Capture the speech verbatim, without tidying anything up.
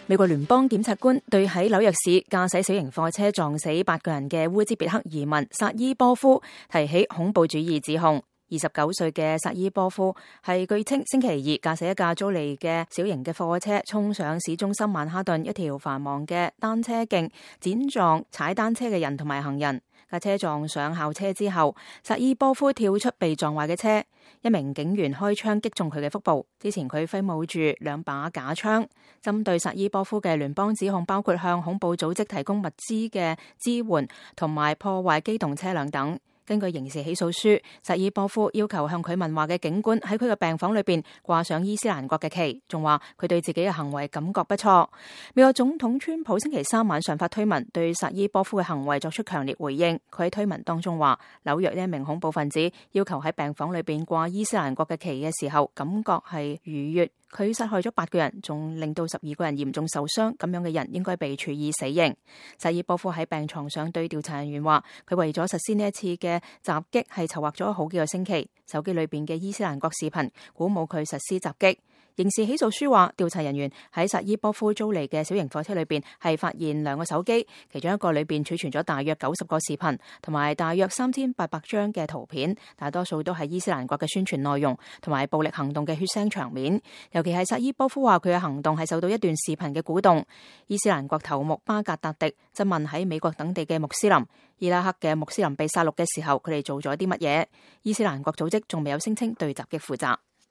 美國聯邦檢察官對喺紐約市駕駛小型貨車撞死八個人嘅烏茲別克移民薩伊波夫提起恐怖主義指控。二十九歲嘅薩伊波夫係據稱星期二駕駛一架租嚟嘅小型嘅貨車衝上市中心曼哈頓一條繁忙嘅單車徑，輾撞踩單車嘅人同埋行人。架車撞上校車之後，薩伊波夫跳出被撞壞嘅車，一名警員開槍擊中佢嘅腹部。之前佢揮舞住兩把假槍。針對薩伊波夫嘅聯邦指控包括向恐怖組織提供物資嘅支援同埋破壞機動車輛等。根據刑事起訴書，薩伊波夫要求向佢問話嘅警官喺佢嘅病房裏邊掛上伊斯蘭國嘅旗，仲話佢對自己嘅行為感覺不錯。美國總統川普星期三晚上發推文對薩伊波夫嘅行為作出強烈回應。佢喺推文當中話，紐約呢一名恐怖分子要求喺病房裏邊掛伊斯蘭國嘅旗嘅時候，感覺係愉悅。佢殺害咗八個人，仲令到十二個人嚴重受傷，咁樣嘅人應該被處以死刑。薩伊波夫喺病床上對調查人員話，佢為咗實施呢一次嘅襲擊係籌劃咗好幾個星期。手機裏邊嘅伊斯蘭國視頻鼓舞佢實施襲擊。刑事起訴書話，調查人員喺薩伊波夫租嚟嘅小型貨車裏邊係發現兩個手機，其中一個裏邊儲存咗大約九十個視頻同埋大約三千八百張嘅圖片，大多數都係伊斯蘭國嘅宣傳內容同埋暴力行動嘅血腥場面。尤其係薩伊波夫話佢嘅行動係受到一段視頻嘅鼓動。伊斯蘭國頭目巴格達迪質問喺美國等地嘅穆斯林，伊拉克嘅穆斯林被殺戮嘅時候，佢哋做咗啲乜嘢？伊斯蘭國組織仲未有聲稱對襲擊負責。